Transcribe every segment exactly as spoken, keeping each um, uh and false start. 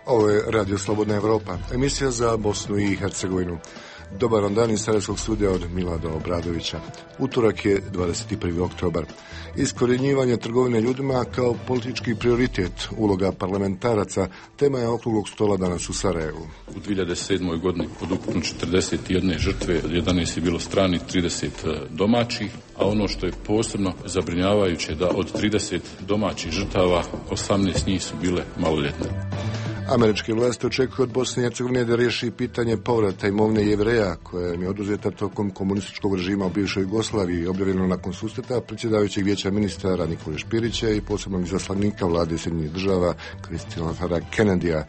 Ovo je Radio Slobodna Evropa, emisija za Bosnu i Hercegovinu. Dobar vam dan iz Sarajevskog studija od Milada Obradovića. Utorak je dvadeset prvi oktobar. Iskorjenjivanje trgovine ljudima kao politički prioritet, uloga parlamentaraca, tema je okruglog stola danas u Sarajevu. U dvije hiljade sedmoj. godini od ukupno četrdeset jedne žrtve, jedanaest je bilo stranih, trideset domaćih, a ono što je posebno zabrinjavajuće da od trideset domaćih žrtava, osamnaest njih su bile maloljetne. Američke vlasti očekuju od Bosne i Hercegovine da riješi pitanje povrata imovine Jevreja, koja im je oduzeta tokom komunističkog režima u bivšoj Jugoslaviji, objavljeno nakon susreta predsjedavajućeg vijeća ministara Nikole Špirića i posebnog izaslanika vlade Sjedinjenih država Christophera Kennedya.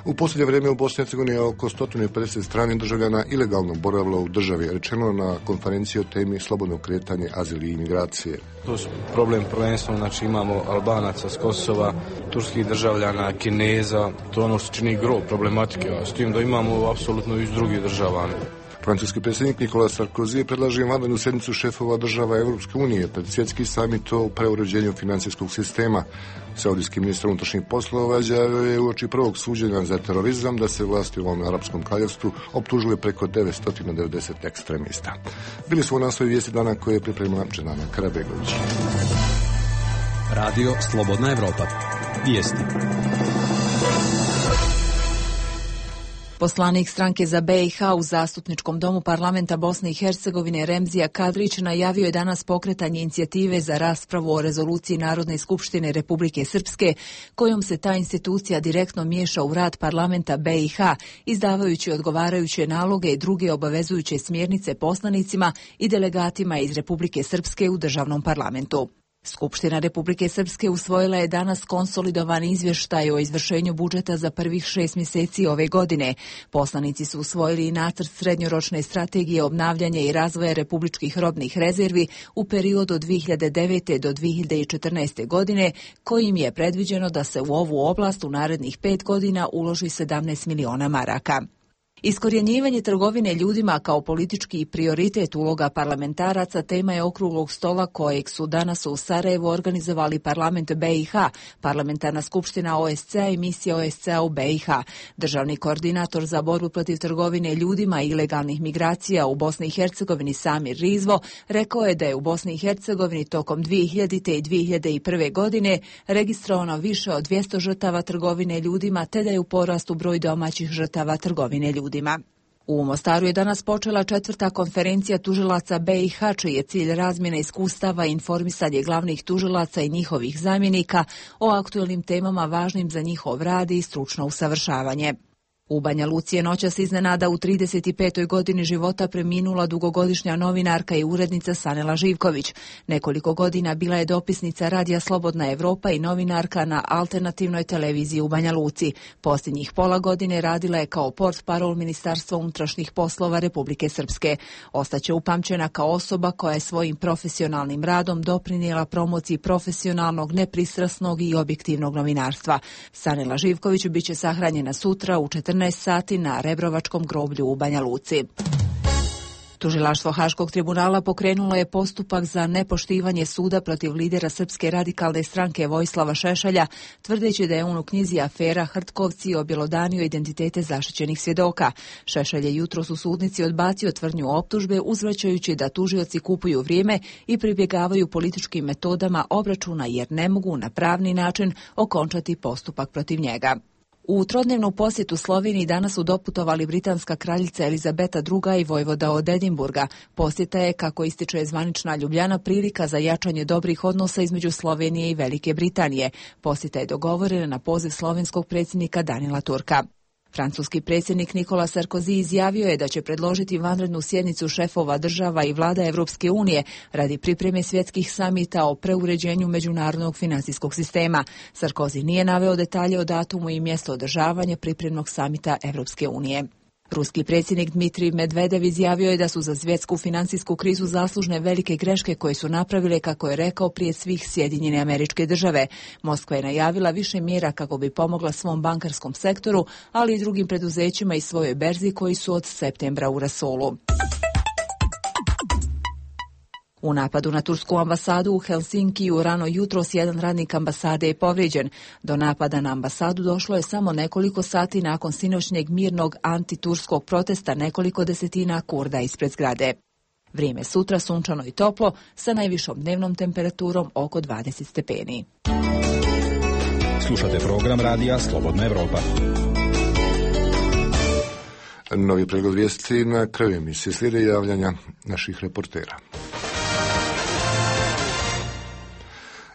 U posljednje vrijeme u Bosni i Hercegovini je oko sto pedeset stranih državljana ilegalno boravilo u državi, rečeno na konferenciji o temi slobodnog kretanja, azil i imigracije. To su problem prvenstveno, znači imamo Albanaca s Kosova, turskih državljana, Kineza, to je ono što čini gro problematike, a s tim da imamo apsolutno iz drugih država. Francuski predsjednik Nikola Sarkozy predlaže vanrednu sjednicu šefova država Europske unije pred svjetski samit o preuređenju financijskog sistema. Saudijski ministar unutrašnjih poslova izjavio je uoči prvog suđenja za terorizam da se vlasti u ovom arapskom kraljevstvu optužuje preko devetsto devedeset ekstremista. Bili su u naslovi vijesti dana koje je pripremila Dženana Karabegović. Radio Slobodna Evropa. Vijesti. Poslanik stranke za B i H u Zastupničkom domu parlamenta Bosne i Hercegovine Remzija Kadrić najavio je danas pokretanje inicijative za raspravu o rezoluciji Narodne skupštine Republike Srpske, kojom se ta institucija direktno miješa u rad parlamenta B i H, izdavajući odgovarajuće naloge i druge obavezujuće smjernice poslanicima i delegatima iz Republike Srpske u državnom parlamentu. Skupština Republike Srpske usvojila je danas konsolidovani izvještaj o izvršenju budžeta za prvih šest mjeseci ove godine. Poslanici su usvojili i nacrt srednjoročne strategije obnavljanja i razvoja republičkih robnih rezervi u periodu od dvije hiljade devete. do dvije hiljade četrnaeste. godine, kojim je predviđeno da se u ovu oblast u narednih pet godina uloži sedamnaest miliona maraka. Iskorjenjivanje trgovine ljudima kao politički prioritet, uloga parlamentaraca, tema je okruglog stola kojeg su danas u Sarajevu organizovali parlament B i H, parlamentarna skupština O S C-a i misija O S C-a u B i H. Državni koordinator za borbu protiv trgovine ljudima i ilegalnih migracija u Bosni i Hercegovini Samir Rizvo rekao je da je u Bosni i Hercegovini tokom dvije hiljadite. i dvije hiljade prve. godine registrovano više od dvjesto žrtava trgovine ljudima, te da je u porastu broj domaćih žrtava trgovine ljudima. U Mostaru je danas počela četvrta konferencija tužilaca B i H, čiji je cilj razmjena iskustava i informisanje glavnih tužilaca i njihovih zamjenika o aktuelnim temama važnim za njihov rad i stručno usavršavanje. U Banja Luci je noćas iznenada u trideset petoj. godini života preminula dugogodišnja novinarka i urednica Sanela Živković. Nekoliko godina bila je dopisnica Radija Slobodna Evropa i novinarka na alternativnoj televiziji u Banja Luci. Posljednjih pola godine radila je kao portparol Ministarstva unutrašnjih poslova Republike Srpske. Ostaće upamćena kao osoba koja je svojim profesionalnim radom doprinijela promociji profesionalnog, nepristrasnog i objektivnog novinarstva. Sanela Živković biće sahranjena sutra u četrnaest sati na Rebrovačkom groblju u Banja Luci. Tužilaštvo Haškog tribunala pokrenulo je postupak za nepoštivanje suda protiv lidera Srpske radikalne stranke Vojislava Šešelja, tvrdeći da je on u knjizi afera Hrtkovci objelodanio identitete zaštićenih svjedoka. Šešelj je jutros u sudnici odbacio tvrdnju optužbe, uzvraćajući da tužioci kupuju vrijeme i pribjegavaju političkim metodama obračuna jer ne mogu na pravni način okončati postupak protiv njega. U trodnevnu posjetu Sloveniji danas su doputovali britanska kraljica Elizabeta druga. i vojvoda od Edinburga. Posjeta je, kako ističe zvanična Ljubljana, prilika za jačanje dobrih odnosa između Slovenije i Velike Britanije. Posjeta je dogovorena na poziv slovenskog predsjednika Danila Turka. Francuski predsjednik Nikola Sarkozy izjavio je da će predložiti vanrednu sjednicu šefova država i vlada Evropske unije radi pripreme svjetskih samita o preuređenju međunarodnog financijskog sistema. Sarkozy nije naveo detalje o datumu i mjesto održavanja pripremnog samita Evropske unije. Ruski predsjednik Dmitrij Medvedev izjavio je da su za svjetsku financijsku krizu zaslužne velike greške koje su napravile, kako je rekao, prije svih Sjedinjene Američke Države. Moskva je najavila više mjera kako bi pomogla svom bankarskom sektoru, ali i drugim preduzećima i svojoj berzi koji su od septembra u rasulu. U napadu na tursku ambasadu u Helsinkiju rano jutros jedan radnik ambasade je povrijeđen. Do napada na ambasadu došlo je samo nekoliko sati nakon sinoćnjeg mirnog antiturskog protesta nekoliko desetina Kurda ispred zgrade. Vrijeme sutra sunčano i toplo sa najvišom dnevnom temperaturom oko dvadeset stepeni. Slušate program radija Slobodna Evropa. Novi pregled vijesti na kraju emisije, slijede javljanja naših reportera.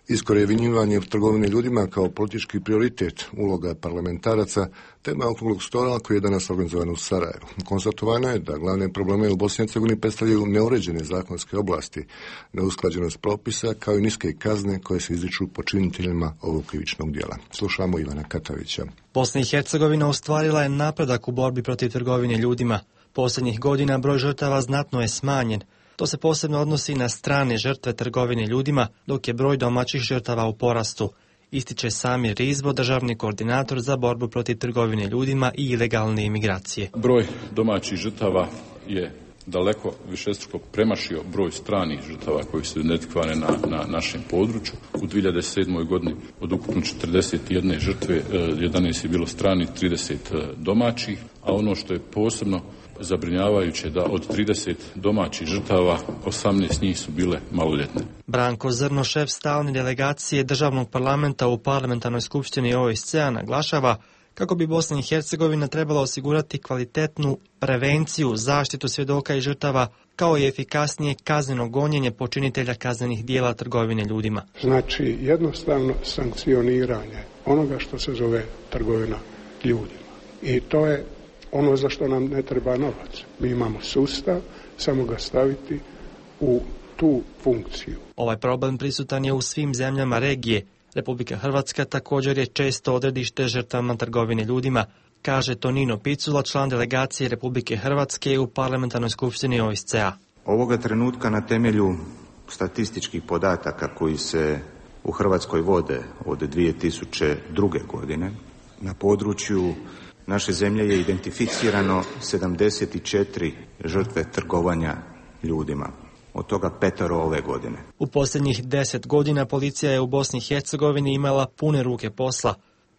Iskorjenjivanje trgovine ljudima kao politički prioritet, uloga parlamentaraca, tema okruglog stola koji je danas organizovan u Sarajevu. Konstatovano je da glavne probleme u Bosni i Hercegovini predstavljaju neuređene zakonske oblasti, neusklađenost propisa kao i niske kazne koje se izriču počiniteljima ovog krivičnog djela. Slušamo Ivana Katavića. Bosna i Hercegovina ostvarila je napredak u borbi protiv trgovine ljudima. Posljednjih godina broj žrtava znatno je smanjen. To se posebno odnosi na strane žrtve trgovine ljudima, dok je broj domaćih žrtava u porastu, ističe Samir Rizbo, državni koordinator za borbu protiv trgovine ljudima i ilegalne imigracije. Broj domaćih žrtava je daleko višestruko premašio broj stranih žrtava koji su identifikovane na, na našem području. U dvije hiljade sedmoj. godini od ukupno četrdeset jedne žrtve, jedanaest je bilo stranih, trideset domaćih, a ono što je posebno zabrinjavajuće da od trideset domaćih žrtava osamnaest njih su bile maloljetne. Branko Zrno, šef stalne delegacije državnog parlamenta u parlamentarnoj skupštini O S C-a, naglašava kako bi Bosna i Hercegovina trebala osigurati kvalitetnu prevenciju, zaštitu svjedoka i žrtava, kao i efikasnije kazneno gonjenje počinitelja kaznenih dijela trgovine ljudima. Znači jednostavno sankcioniranje onoga što se zove trgovina ljudima. I to je ono za što nam ne treba novac. Mi imamo sustav, samo ga staviti u tu funkciju. Ovaj problem prisutan je u svim zemljama regije. Republika Hrvatska također je često odredište žrtvama trgovine ljudima, kaže Tonino Picula, član delegacije Republike Hrvatske u parlamentarnoj skupštini O S C-a. Ovoga trenutka na temelju statističkih podataka koji se u Hrvatskoj vode od dvije tisuće druge. godine na području naše zemlje je identificirano sedamdeset četiri žrtve trgovanja ljudima, od toga petero ove godine. U posljednjih deset godina policija je u Bosni i Hercegovini imala pune ruke posla.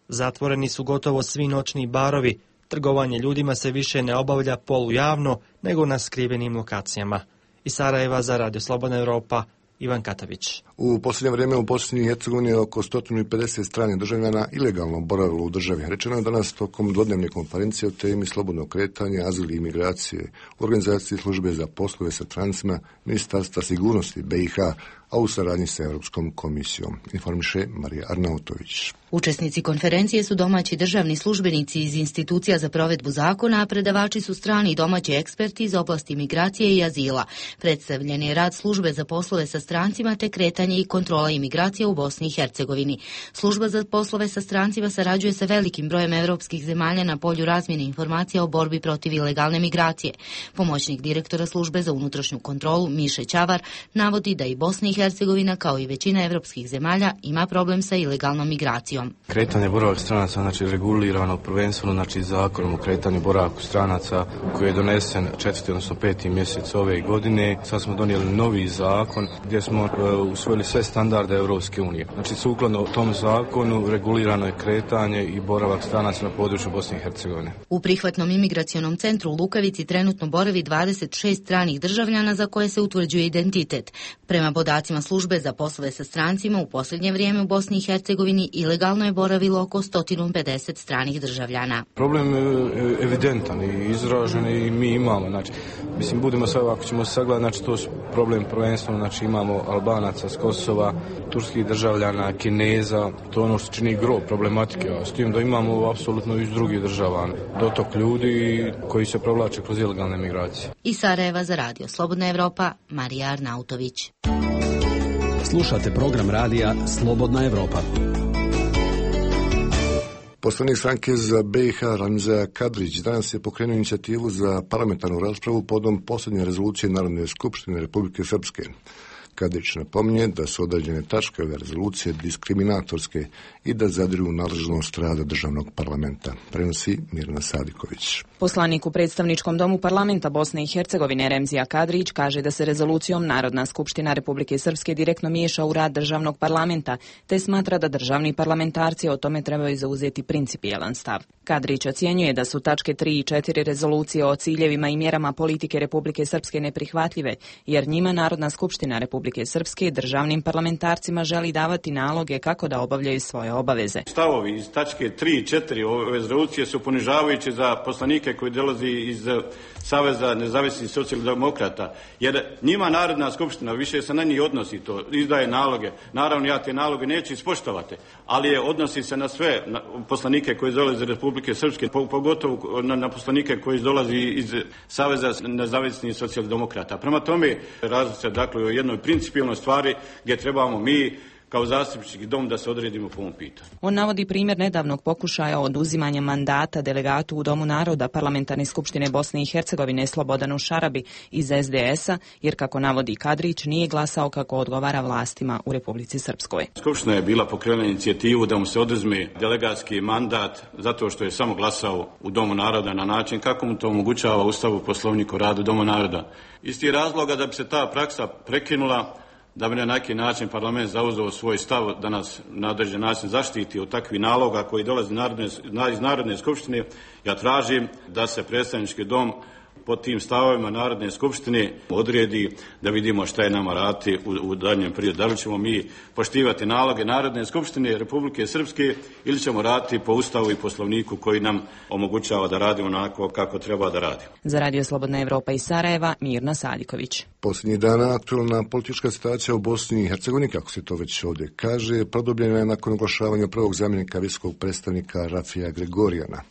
Zatvoreni su gotovo svi noćni barovi, trgovanje ljudima se više ne obavlja polujavno, nego na skrivenim lokacijama. Iz Sarajeva za Radio Slobodna Evropa, Ivan Katavić. U posljednje vrijeme u Bosni i Hercegovini je oko sto pedeset stranih državljana ilegalno boravilo u državi. Rečeno je danas tokom dvodnevne konferencije o temi slobodnog kretanja, azil i imigracije, u organizaciji službe za poslove sa strancima, Ministarstva sigurnosti B i H, a u saradnji sa Europskom komisijom. Informiše Marija Arnautović. Učesnici konferencije su domaći državni službenici iz institucija za provedbu zakona, a predavači su strani i domaći eksperti iz oblasti migracije i azila. Predstavljen je rad službe za poslove sa strancima te kretanje i kontrola imigracije u Bosni i Hercegovini. Služba za poslove sa strancima sarađuje sa velikim brojem evropskih zemalja na polju razmjene informacija o borbi protiv ilegalne migracije. Pomoćnik direktora službe za unutrašnju kontrolu Miše Ćavar navodi da i Bosna i Hercegovina, kao i većina evropskih zemalja, ima problem sa ilegalnom migracijom. Kretanje boravak stranaca, znači regulirano prvenstveno znači zakonom o kretanju boravku stranaca koji je donesen četvrti odnosno peti mjesec ove godine. Sad smo donijeli novi zakon gdje smo uh, usvojili sve standarde Europske unije. Znači sukladno tom zakonu regulirano je kretanje i boravak stranaca na području Bosne i Hercegovine. U prihvatnom imigracionom centru u Lukavici trenutno boravi dvadeset šest stranih državljana za koje se utvrđuje identitet. Prema podacima službe za poslove sa strancima, u posljednje vrijeme u Bosni i Hercegovini ilegalno je boravilo oko sto pedeset stranih državljana. Problem je evidentan i izražen i mi imamo, znači, mislim, budemo sve ovako ćemo sagledati, znači, to su problem prvenstveno, znači, imamo Albanaca s Kosova, turskih državljana, Kineza, to ono što čini gro problematike, a s tim da imamo apsolutno iz drugih država dotok ljudi koji se provlače kroz ilegalne migracije. Iz Sarajeva za Radio Slobodna Evropa, Marija Arnautović. Slušate program radija Slobodna Evropa. Poslanik stranke za B i H Ramza Kadrić danas je pokrenuo inicijativu za parlamentarnu raspravu podom posljednje rezolucije Narodne skupštine Republike Srpske. Kadrić napominje da su određene tačke ove rezolucije diskriminatorske i da zadiru u nadležnost rada državnog parlamenta. Prenosi Mirna Sadiković. Poslanik u predstavničkom domu parlamenta Bosne i Hercegovine Remzija Kadrić kaže da se rezolucijom Narodna skupština Republike Srpske direktno miješa u rad državnog parlamenta, te smatra da državni parlamentarci o tome trebaju zauzeti principijelan stav. Kadrić ocjenjuje da su tačke tri i četiri rezolucije o ciljevima i mjerama politike Republike Srpske neprihvatljive, jer njima Narodna skupština Republike Srpske državnim parlamentarcima želi davati naloge kako da obavljaju svoje obaveze. Stavovi iz tačke tri i četiri ove rezolucije su ponižavajući za poslanike koji dolazi iz Saveza nezavisnih socijaldemokrata, jer njima Narodna skupština više se na njih odnosi to, izdaje naloge. Naravno, ja te naloge neću ispoštovati, ali je odnosi se na sve na poslanike koji dolaze iz Republike Srpske, pogotovo na, na poslanike koji dolazi iz Saveza nezavisnih socijaldemokrata. Prema tome, različite se dakle o jednoj principijelnoj stvari gdje trebamo mi kao zastupnički dom da se odredimo po ovom pitanju. On navodi primjer nedavnog pokušaja oduzimanja mandata delegatu u Domu naroda Parlamentarne skupštine Bosne i Hercegovine Slobodanu Šarabi iz es de es a, jer kako navodi Kadrić nije glasao kako odgovara vlastima u Republici Srpskoj. Skupština je bila pokrenula inicijativu da mu se oduzme delegatski mandat zato što je samo glasao u Domu naroda na način kako mu to omogućava Ustavu Poslovnik o radu Doma naroda. Iz tih razloga da bi se ta praksa prekinula, da bi na neki način parlament zauzeo svoj stav da nas na određen način zaštiti od takvih naloga koji dolaze iz Narodne skupštine, ja tražim da se predstavnički dom pod tim stavovima Narodne skupštine odredi da vidimo šta je nama raditi u, u daljnjem periodu. Da li ćemo mi poštivati naloge Narodne skupštine Republike Srpske ili ćemo raditi po Ustavu i Poslovniku koji nam omogućava da radimo onako kako treba da radimo. Za Radio Slobodna Evropa iz Sarajeva, Mirna Sadiković. Posljednjih dana aktualna politička situacija u Bosni i Hercegovini, kako se to već ovdje kaže, produbljena je nakon oglašavanja prvog zamjenika visokog predstavnika Rafija Gregorijana.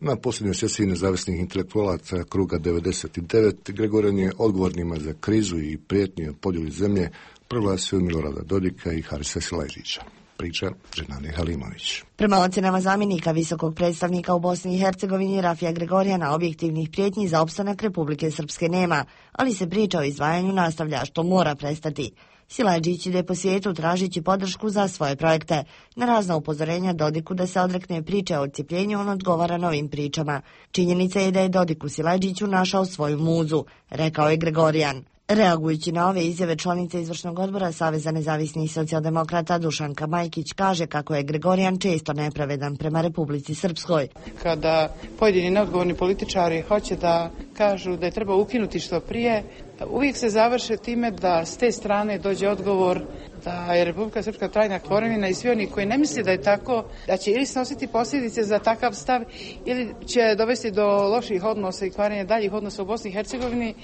Na posljednjoj sesiji nezavisnih intelektualaca kruga devedeset devet Gregorijan je odgovornima za krizu i prijetnje o podjeli zemlje proglasio Milorada Dodika i Harisa Silajdžića. Priča Ženane Halimović. Prema ocjenama zamjenika visokog predstavnika u Bosni i Hercegovini Rafija Gregorijana, objektivnih prijetnji za opstanak Republike Srpske nema, ali se priča o izdvajanju nastavlja, što mora prestati. Silajdžić ide po svijetu tražići podršku za svoje projekte. Na razna upozorenja Dodiku da se odrekne priče o odcijepljenju, on odgovara novim pričama. Činjenica je da je Dodik u Silajdžiću našao svoju muzu, rekao je Gregorijan. Reagujući na ove izjave, članica izvršnog odbora Saveza nezavisnih socijaldemokrata Dušanka Majkić kaže kako je Gregorijan često nepravedan prema Republici Srpskoj. Kada pojedini neodgovorni političari hoće da kažu da je treba ukinuti što prije, uvijek se završe time da s te strane dođe odgovor da je Republika Srpska trajna tvorevina i svi oni koji ne misle da je tako, da će ili snositi posljedice za takav stav ili će dovesti do loših odnosa i kvarenja daljih odnosa u Bosni i Hercegovini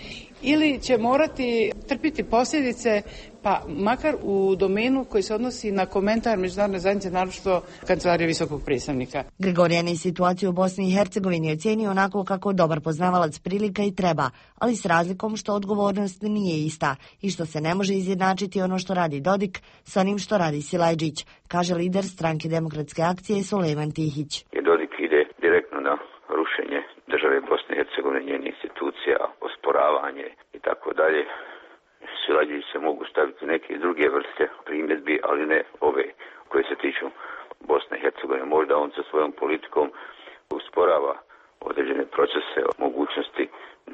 ili će morati trpiti posljedice, pa makar u domenu koji se odnosi na komentar međunarodne zajednice, naročito Kancelarije visokog predstavnika. Gregorijan je situaciju u Bosni i Hercegovini ocjenio onako kako dobar poznavalac prilika i treba, ali s razlikom što odgovornost nije ista i što se ne može izjednačiti ono što radi Dodik s onim što radi Silajdžić, kaže lider stranke Demokratske akcije Sulejman Tihić. I Dodik ide direktno na rušenje države Bosne i Hercegovine, njenih institucija, osporavanje i tako dalje. Silajdžić se mogu staviti neke druge vrste primjedbi, ali ne ove koje se tiču Bosne i Hercegovine. Možda on sa svojom politikom usporava određene procese, mogućnosti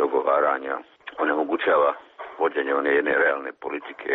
dogovaranja, onemogućava vođenje one jedne realne politike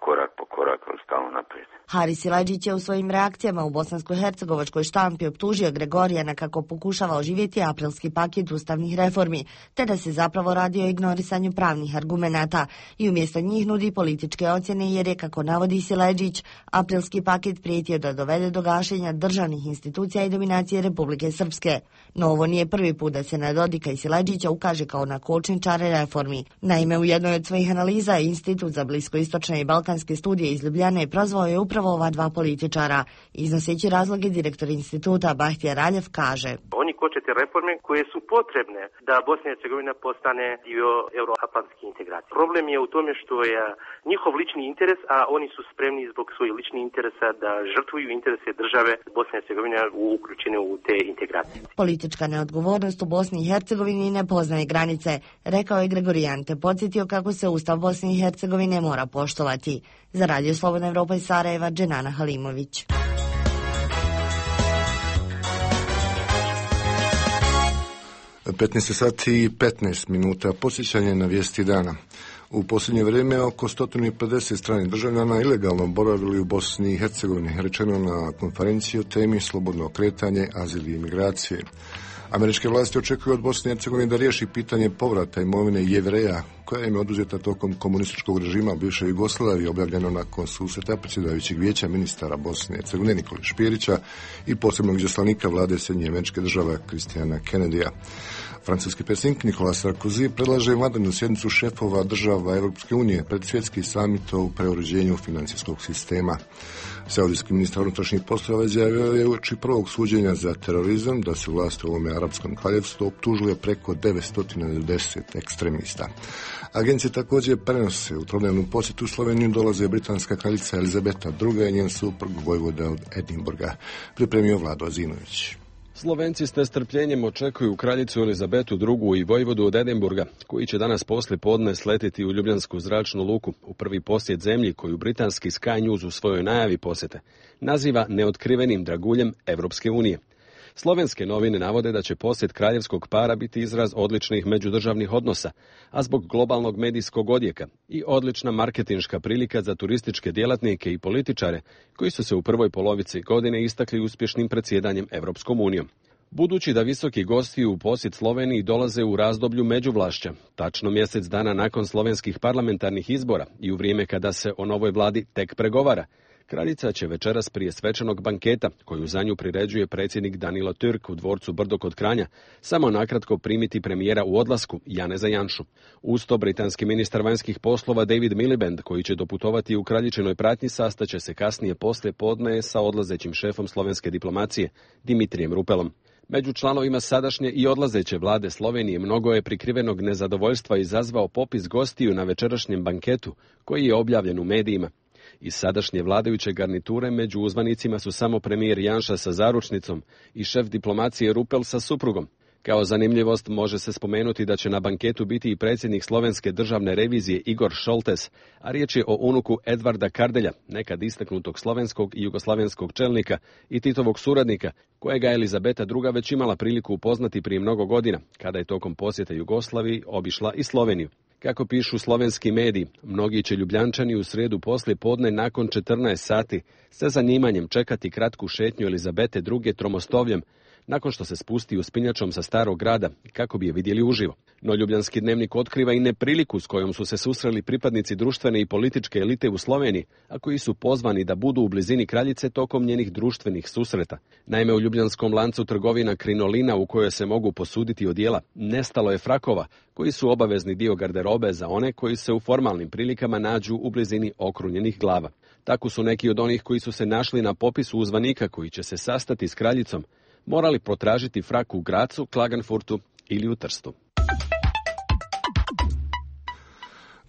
korak po korak, ali stalno naprijed. Haris Silajdžić je u svojim reakcijama u bosansko-hercegovačkoj štampi optužio Gregorijana kako pokušava oživjeti aprilski paket ustavnih reformi, te da se zapravo radi o ignorisanju pravnih argumenata i umjesto njih nudi političke ocjene jer je, kako navodi Silajdžić, aprilski paket prijetio da dovede do gašenja državnih institucija i dominacije Republike Srpske. No ovo nije prvi put da se na Dodika i Silajdžića ukaže kao na kočničare reformi. Naime, u jednoj od svojih analiza Institut za bliskoistočne i balkanske studije iz Ljubljane prozvao je upravo ova dva političara. Iznoseći razloge, direktor instituta Bahtija Raljev kaže: Oni početi reforme koje su potrebne da Bosna i Hercegovina postane dio euroatlantske integracije. Problem je u tome što je njihov lični interes, a oni su spremni zbog svojih ličnih interesa da žrtvuju interese države Bosne i Hercegovine uključene u te integracije. Politička neodgovornost u Bosni i Hercegovini ne poznaje granice, rekao je Gregorijan, te podsjetio kako se Ustav Bosne i Hercegovine mora poštovati. Za Radio Slobodna Evropa iz Sarajeva, Dženana Halimović. petnaest sati i petnaest minuta, posjećanje na vijesti dana. U posljednje vrijeme oko sto pedeset stranih državljana ilegalno boravili u Bosni i Hercegovini, rečeno na konferenciji o temi slobodno kretanje, azil i imigracije. Američke vlasti očekuju od Bosne i Hercegovine da riješi pitanje povrata imovine Jevreja, koja im je oduzeta tokom komunističkog režima bivše Jugoslavije, objavljeno nakon susreta predsjedavajućeg vijeća ministara Bosne i Hercegovine Nikole Špirića i posebnog izaslanika vlade Sjedinjenih Američkih Država Christiana Kennedyja. Francuski predsjednik Nicolas Sarkozy predlaže vanrednu sjednicu šefova država Europske unije pred svjetski samit o preuređenju financijskog sistema. Saudijski ministar unutrašnjih poslova izjavio je uoči prvog suđenja za terorizam da se vlast u ovome arapskom kraljevstvu optužuje preko devetsto devedeset ekstremista. Agencije također prenose u trodnevnu posjetu u Sloveniju dolaze britanska kraljica Elizabeta druga i njen suprug vojvoda od Edinburga, pripremio Vlado Azinović. Slovenci s nestrpljenjem očekuju kraljicu Elizabetu drugu i vojvodu od Edinburga, koji će danas poslije podne sletiti u Ljubljansku zračnu luku u prvi posjet zemlji koju britanski Sky News u svojoj najavi posjete naziva neotkrivenim draguljem Evropske unije. Slovenske novine navode da će posjet kraljevskog para biti izraz odličnih međudržavnih odnosa, a zbog globalnog medijskog odjeka i odlična marketinška prilika za turističke djelatnike i političare koji su se u prvoj polovici godine istakli uspješnim predsjedanjem Evropskom unijom. Budući da visoki gosti u posjet Sloveniji dolaze u razdoblju međuvlašća, tačno mjesec dana nakon slovenskih parlamentarnih izbora i u vrijeme kada se o novoj vladi tek pregovara, kraljica će večeras prije svečanog banketa, koju za nju priređuje predsjednik Danilo Türk u dvorcu Brdo kod Kranja, samo nakratko primiti premijera u odlasku, Janeza Janšu. Uz to britanski ministar vanjskih poslova David Miliband, koji će doputovati u kraljičinoj pratnji, sastaće se kasnije poslije podne sa odlazećim šefom slovenske diplomacije, Dimitrijem Rupelom. Među članovima sadašnje i odlazeće vlade Slovenije mnogo je prikrivenog nezadovoljstva izazvao popis gostiju na večerašnjem banketu, koji je objavljen u medijima. Iz sadašnje vladajuće garniture među uzvanicima su samo premijer Janša sa zaručnicom i šef diplomacije Rupel sa suprugom. Kao zanimljivost može se spomenuti da će na banketu biti i predsjednik slovenske državne revizije Igor Šoltes, a riječ je o unuku Edvarda Kardelja, nekad istaknutog slovenskog i jugoslavenskog čelnika i Titovog suradnika, kojega je Elizabeta druga već imala priliku upoznati prije mnogo godina, kada je tokom posjeta Jugoslaviji obišla i Sloveniju. Kako pišu slovenski mediji, mnogi će Ljubljančani u srijedu poslije podne nakon četrnaest sati sa zanimanjem čekati kratku šetnju Elizabete druge tromostovljem, nakon što se spusti uspinjačom sa starog grada kako bi je vidjeli uživo. No Ljubljanski dnevnik otkriva i nepriliku s kojom su se susreli pripadnici društvene i političke elite u Sloveniji, a koji su pozvani da budu u blizini kraljice tokom njenih društvenih susreta. Naime, u ljubljanskom lancu trgovina Krinolina, u kojoj se mogu posuditi odijela, nestalo je frakova, koji su obavezni dio garderobe za one koji se u formalnim prilikama nađu u blizini okrunjenih glava. Tako su neki od onih koji su se našli na popisu uzvanika koji će se sastati s kraljicom morali potražiti frak u Gracu, Klagenfurtu ili u Trstu.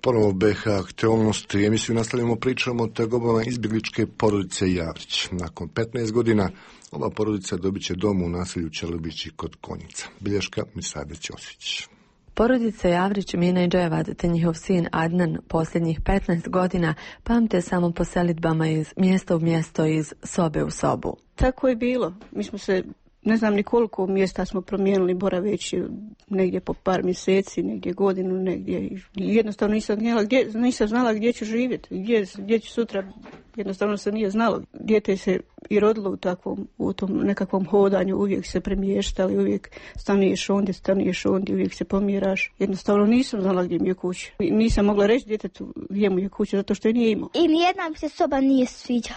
Ponovo B H aktualnosti. Emisiju nastavljamo pričamo o tegobama izbjegličke porodice Javrić. Nakon petnaest godina ova porodica dobit će dom u naselju Čelubići kod Konjica. Bilješka Misade Ćosić. Porodica Javrić, Mina i Dževad te njihov sin Adnan posljednjih petnaest godina pamte samo po selidbama iz mjesta u mjesto, iz sobe u sobu. Tako je bilo. Mi smo se, ne znam ni koliko mjesta smo promijenili boraveći, negdje po par mjeseci, negdje godinu, negdje. Jednostavno nisam znala gdje, nisam znala gdje ću živjeti, gdje, gdje ću sutra. Jednostavno se nije znalo. Dijete se i rodilo u takvom, u tom nekakvom hodanju, uvijek se premještali, uvijek stanuješ ondje, stanuješ ondje, uvijek se pomiraš. Jednostavno nisam znala gdje mi je kuća. Nisam mogla reći djetetu gdje mu je kuća, zato što je nije imao. I nijedna mi se soba nije sviđa.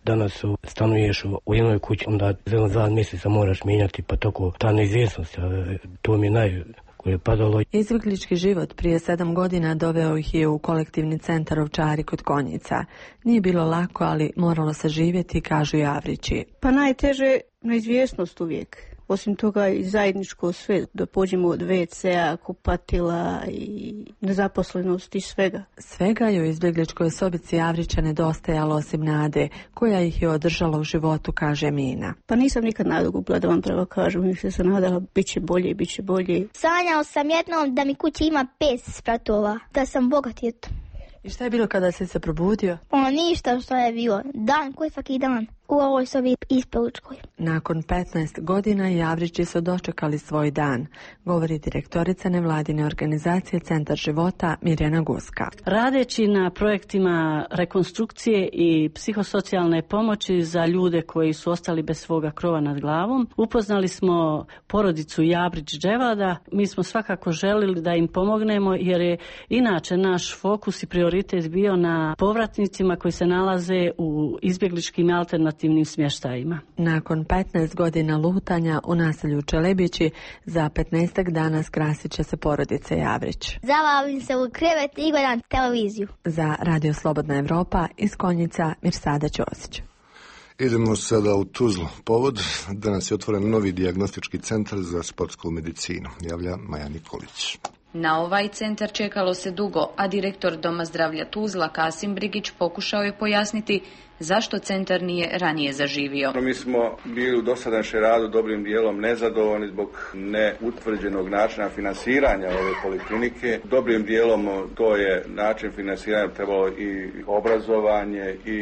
Danas stanuješ u jednoj kući, onda za dva mjeseca moraš mijenjati, pa tako ta neizvjesnost, to mi je naj... Izbjeglički život prije sedam godina doveo ih je u kolektivni centar Ovčari kod Konjica. Nije bilo lako, ali moralo se živjeti, kažu Javrići. Pa najteže neizvjesnost uvijek. osim toga i zajedničko sve, da pođemo od ve cea, kupatila i nezaposlenosti i svega. Svega je u izbjegličkoj sobici Javrića nedostajalo osim nade, koja ih je održala u životu, kaže Mina. Pa nisam nikad nadu gubila, da vam pravo kažem, više sam nadala, bit će bolje, bit će bolje. Sanjao sam jednom da mi kući ima pet spratova, da sam bogat eto. I šta je bilo kada si se probudio? O, ništa što je bilo. Dan koji svaki dan. U ovoj sobi ispolučkoj. Nakon petnaest godina Javrići su dočekali svoj dan, govori direktorica nevladine organizacije Centar života Mirjana Guska. Radeći na projektima rekonstrukcije i psihosocijalne pomoći za ljude koji su ostali bez svoga krova nad glavom, upoznali smo porodicu Javrić-Dževada. Mi smo svakako želili da im pomognemo jer je inače naš fokus i prioritet bio na povratnicima koji se nalaze u izbjegličkim alternativnim smještajima. Nakon petnaest godina lutanja u naselju Čelebići, za petnaestak dana skrasit će se porodice Javrić. Zavavim se u krevet i gledam televiziju. Za Radio Slobodna Evropa iz Konjica Mirsada Ćosić. Idemo sada u Tuzlu. Povod, danas je otvoren novi dijagnostički centar za sportsku medicinu, javlja Maja Nikolić. Na ovaj centar čekalo se dugo, a direktor Doma zdravlja Tuzla Kasim Brigić pokušao je pojasniti zašto centar nije ranije zaživio. Mi smo bili u dosadašnjem radu dobrim dijelom nezadovoljni zbog neutvrđenog načina finansiranja ove poliklinike. Dobrim dijelom to je način finansiranja trebalo i obrazovanje i,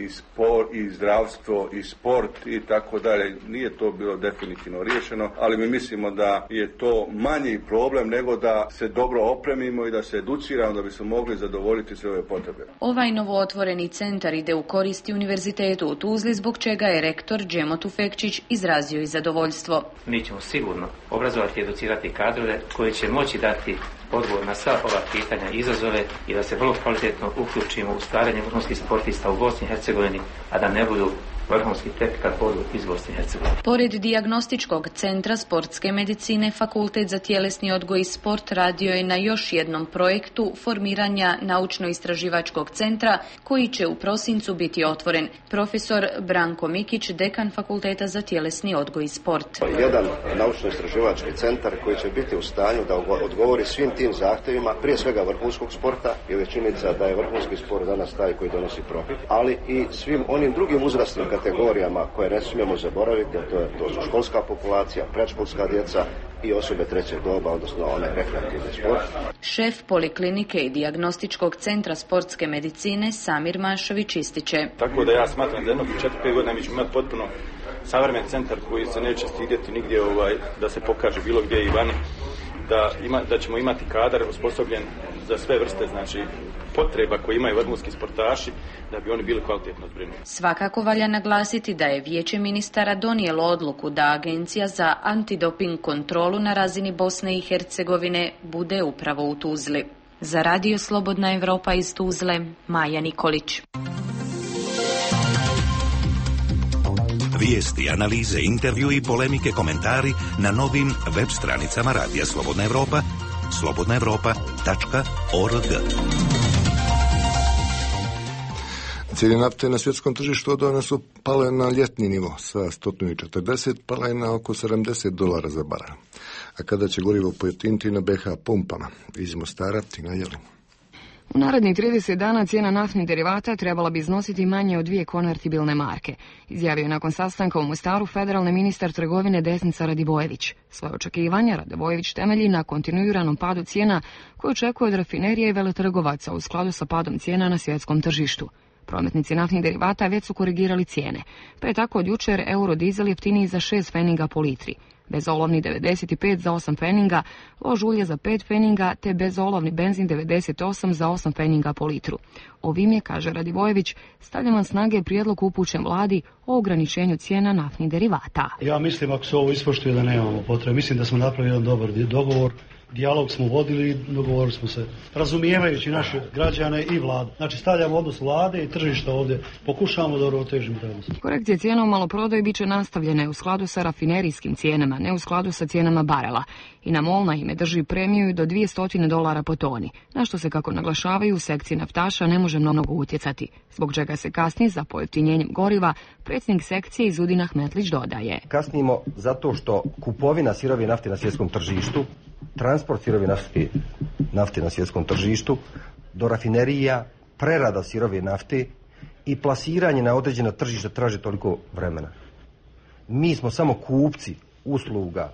i sport i zdravstvo i sport i tako dalje. Nije to bilo definitivno riješeno, ali mi mislimo da je to manji problem nego da se dobro opremimo i da se educiramo da bismo mogli zadovoljiti sve ove potrebe. Ovaj novootvoreni centar ide u koristi Univerzitetu u Tuzli, zbog čega je rektor Džemo Tufekčić izrazio i zadovoljstvo. Mi ćemo sigurno obrazovati i educirati kadrove koji će moći dati odgovor na sva ova pitanja i izazove i da se vrlo kvalitetno uključimo u stvaranje vrhunskih sportista u Bosni i Hercegovini, a da ne budu vrhunski tek kad podu iz Bosne i Hercegovine. Pored dijagnostičkog centra sportske medicine, Fakultet za tjelesni odgoj i sport radio je na još jednom projektu formiranja naučno-istraživačkog centra koji će u prosincu biti otvoren. Profesor Branko Mikić, dekan Fakulteta za tjelesni odgoj i sport. Jedan naučno-istraživački centar koji će biti u stanju da odgovori svim tim zahtjevima, prije svega vrhunskog sporta, jer je činjenica da je vrhunski sport danas taj koji donosi profit, ali i svim onim drugim uzrasnim kategorijama koje ne smijemo zaboraviti, to, je, to su školska populacija, predškolska djeca i osobe trećeg doba, odnosno onaj rekreativni sport. Šef poliklinike i dijagnostičkog centra sportske medicine Samir Mašović ističe. Tako da ja smatram da jednog četiri pet godina mi ćemo imati potpuno savremen centar koji se neće stidjeti nigdje ovaj, da se pokaže bilo gdje i vani. Da, ima, da ćemo imati kadar osposobljen za sve vrste, znači potreba koje imaju vrhunski sportaši da bi oni bili kvalitetno zbrinuti. Svakako valja naglasiti da je Vijeće ministara donijelo odluku da Agencija za antidoping kontrolu na razini Bosne i Hercegovine bude upravo u Tuzli. Za Radio Slobodna Evropa iz Tuzle, Maja Nikolić. Vijesti, analize, intervju i polemike, komentari na novim web stranicama Radija Slobodna Evropa, slobodna evropa tačka org. Cijene nafte na svjetskom tržištu odavno su pale na ljetni nivo, sa sto četrdeset pala je na oko sedamdeset dolara za barel. A kada će gorivo pojeftiniti na be ha pumpama? Iz Mostara, Tina Jelin. U narednih trideset dana cijena naftnih derivata trebala bi iznositi manje od dvije konvertibilne marke, izjavio je nakon sastanka u Mostaru federalni ministar trgovine Desnica Radivojević. Svoje očekivanja Radivojević temelji na kontinuiranom padu cijena koje očekuje od rafinerija i veletrgovaca u skladu sa padom cijena na svjetskom tržištu. Prometnici naftnih derivata već su korigirali cijene, pa je tako od jučer eurodizel jeftiniji za šest feninga po litri, bezolovni devedeset pet za osam feninga, lož ulje za pet feninga te bezolovni benzin devedeset osam za osam feninga po litru. Ovim je, kaže Radivojević, stavljen van snage prijedlog upućen vladi o ograničenju cijena naftnih derivata. Ja mislim ako se ovo ispoštuje da nemamo potrebe. Mislim da smo napravili jedan dobar dogovor dijalog smo vodili, dogovorili smo se, razumijevajući naše građane i vladu. Znači stavljamo odnos vlade i tržišta ovdje, pokušavamo da uravnotežimo taj odnos. Korekcije cijena u maloprodaji biće nastavljene u skladu sa rafinerijskim cijenama, ne u skladu sa cijenama barela. I na MOL na ime drži premiju do dvjesto dolara po toni, na što se, kako naglašavaju u sekciji naftaša, ne može mnogo utjecati, zbog čega se kasni za pojeftinjenjem goriva. Predsjednik sekcije Izudin Ahmetlić dodaje. Kasnimo zato što kupovina sirove nafte na svjetskom tržištu, transport sirove nafte, nafte na svjetskom tržištu, do rafinerija, prerada sirove nafte i plasiranje na određena tržišta traže toliko vremena. Mi smo samo kupci usluga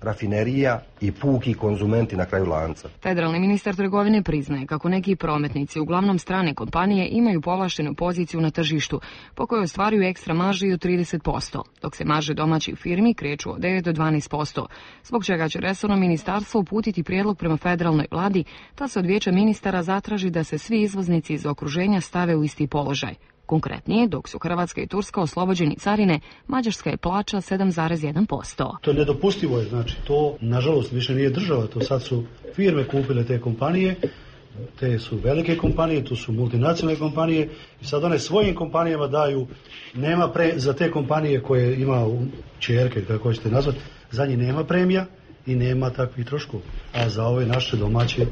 rafinerija i puki konzumenti na kraju lanca. Federalni ministar trgovine priznaje kako neki prometnici, uglavnom strane kompanije, imaju povlaštenu poziciju na tržištu, po kojoj ostvaruju ekstra marži od trideset posto, dok se marže domaćih firmi kreću od devet do dvanaest posto, zbog čega će resorno ministarstvo uputiti prijedlog prema federalnoj vladi, da se od vijeća ministara zatraži da se svi izvoznici iz okruženja stave u isti položaj. Konkretnije, dok su Hrvatska i Turska oslobođeni carine, Mađarska je plaća sedam zarez jedan posto. To je nedopustivo, je, znači to nažalost više nije država, to sad su firme kupile te kompanije, te su velike kompanije, to su multinacionalne kompanije i sad one svojim kompanijama daju, nema pre, za te kompanije koje ima ćerke, kako hoćete nazvati, za njih nema premija i nema takvih troškova, a za ove naše domaće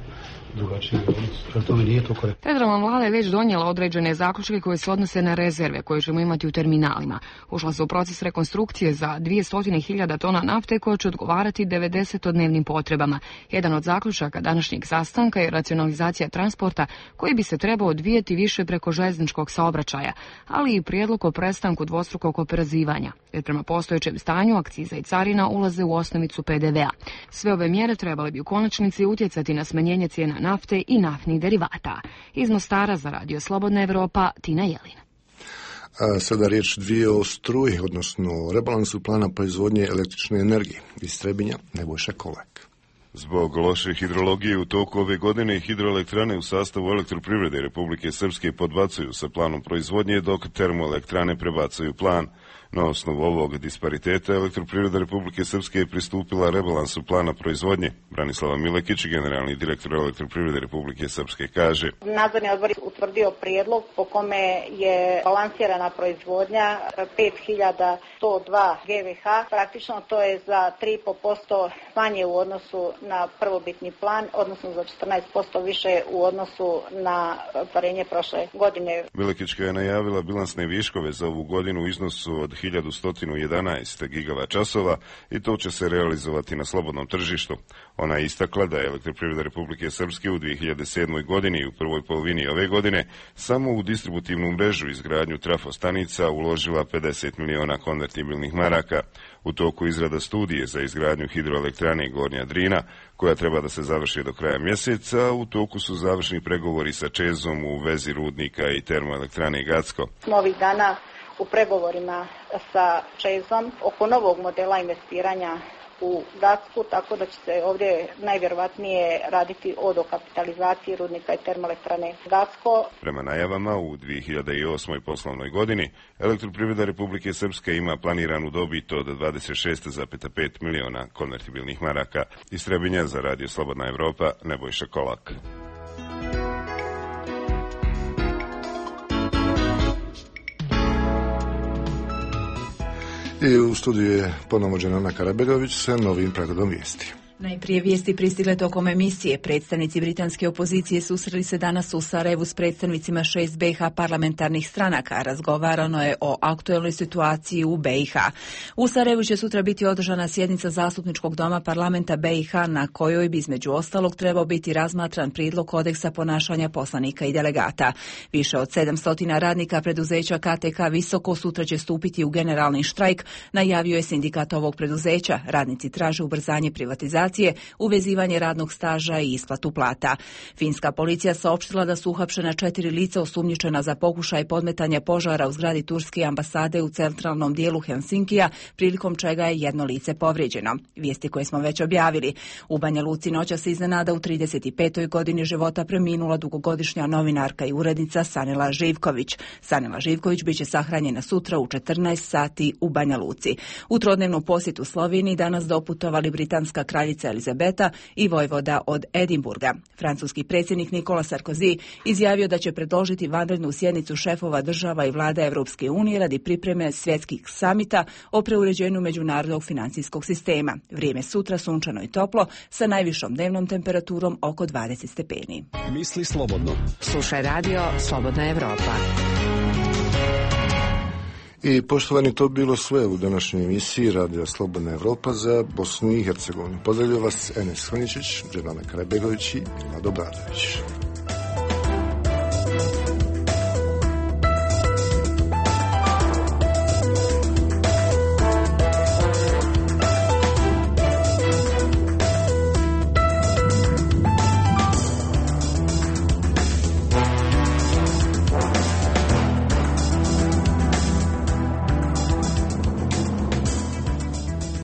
drugačije odnos. To mi nije to korektno. Federalna vlada je već donijela određene zaključke koje se odnose na rezerve koje ćemo imati u terminalima. Ušla se u proces rekonstrukcije za dvjesto hiljada tona nafte koja će odgovarati devedesetodnevnim potrebama. Jedan od zaključaka današnjeg sastanka je racionalizacija transporta koji bi se trebao odvijeti više preko željezničkog saobraćaja, ali i prijedlog o prestanku dvostrukog oporezivanja, jer prema postojećem stanju akciza i carina ulaze u osnovicu pe de ve a. Sve ove mjere trebale bi u konačnici utjecati na smanjenje cijena nafte i naftnih derivata. Iz Mostara za Radio Slobodna Evropa, Tina Jelin. A sada riječ dvije o struji, odnosno rebalansu plana proizvodnje električne energije. Iz Trebinja, Nebojša Kolak. Zbog loše hidrologije u toku ove godine hidroelektrane u sastavu Elektroprivrede Republike Srpske podbacuju sa planom proizvodnje, dok termoelektrane prebacuju plan. Na osnovu ovog dispariteta Elektroprivreda Republike Srpske je pristupila rebalansu plana proizvodnje. Branislava Milekić, generalni direktor Elektroprivrede Republike Srpske, kaže: Nadzorni odbor je utvrdio prijedlog po kome je balansirana proizvodnja pet hiljada sto dva ge ve ha. Praktično to je za tri i po posto manje u odnosu na prvobitni plan, odnosno za četrnaest posto više u odnosu na ostvarenje prošle godine. Milekićka je najavila bilansne viškove za ovu godinu u iznosu od hiljadu sto jedanaest gigavat časova i to će se realizovati na slobodnom tržištu. Ona je istakla da je Elektroprivreda Republike Srpske u dvije hiljade sedmoj. godini i u prvoj polovini ove godine samo u distributivnu mrežu izgradnju trafostanica uložila pedeset miliona konvertibilnih maraka. U toku izrada studije za izgradnju hidroelektrane Gornja Drina, koja treba da se završi do kraja mjeseca, u toku su završni pregovori sa Čezom u vezi rudnika i termoelektrane Gacko. Ovih dana u pregovorima sa Čezom oko novog modela investiranja u Gacku, tako da će se ovdje najvjerovatnije raditi o dokapitalizaciji rudnika i termoelektrane Gacko. Prema najavama, u dvije hiljade osmoj. poslovnoj godini Elektroprivreda Republike Srpske ima planiranu dobit od dvadeset šest zarez pet miliona konvertibilnih maraka. Iz Trebinja za Radio Slobodna Evropa, Nebojša Kolak. I u studiju je ponovno Ana Karabegović sa novim pregledom vijesti. Najprije vijesti pristigle tokom emisije. Predstavnici britanske opozicije susreli se danas u Sarajevu s predstavnicima šest be i ha parlamentarnih stranaka. Razgovarano je o aktuelnoj situaciji u be i ha. U Sarajevu će sutra biti održana sjednica Zastupničkog doma parlamenta be i ha na kojoj bi između ostalog trebao biti razmatran prijedlog kodeksa ponašanja poslanika i delegata. Više od sedamsto radnika preduzeća ka te ka Visoko sutra će stupiti u generalni štrajk, najavio je sindikat ovog preduzeća. Radnici traže ubrzanje privatizacije, uvezivanje radnog staža i isplatu plata. Finska policija saopštila da su uhapšena četiri lica osumnjičena za pokušaj podmetanja požara u zgradi turske ambasade u centralnom dijelu Helsinkija, prilikom čega je jedno lice povrijeđeno. Vijesti koje smo već objavili. U Banja Luci noćas se iznenada u trideset petoj godini života preminula dugogodišnja novinarka i urednica Sanela Živković. Sanela Živković biće sahranjena sutra u četrnaest sati u Banja Luci. U trodnevnu posjetu Sloveniji danas doputovali britanska kraljica kraljica Elizabeta i vojvoda od Edinburga. Francuski predsjednik Nicolas Sarkozy izjavio da će predložiti vanrednu sjednicu šefova država i vlada Europske unije radi pripreme svjetskih samita o preuređenju međunarodnog financijskog sistema. Vrijeme sutra sunčano i toplo sa najvišom dnevnom temperaturom oko dvadeset stepeni. Misli slobodno. Slušaj radio Slobodna Evropa. I poštovani, to bilo sve u današnjoj emisiji Radija Slobodna Evropa za Bosnu i Hercegovinu. Pozdravljaju vas Enes Hrničić, Dženana Karabegović i Vlado Bradović.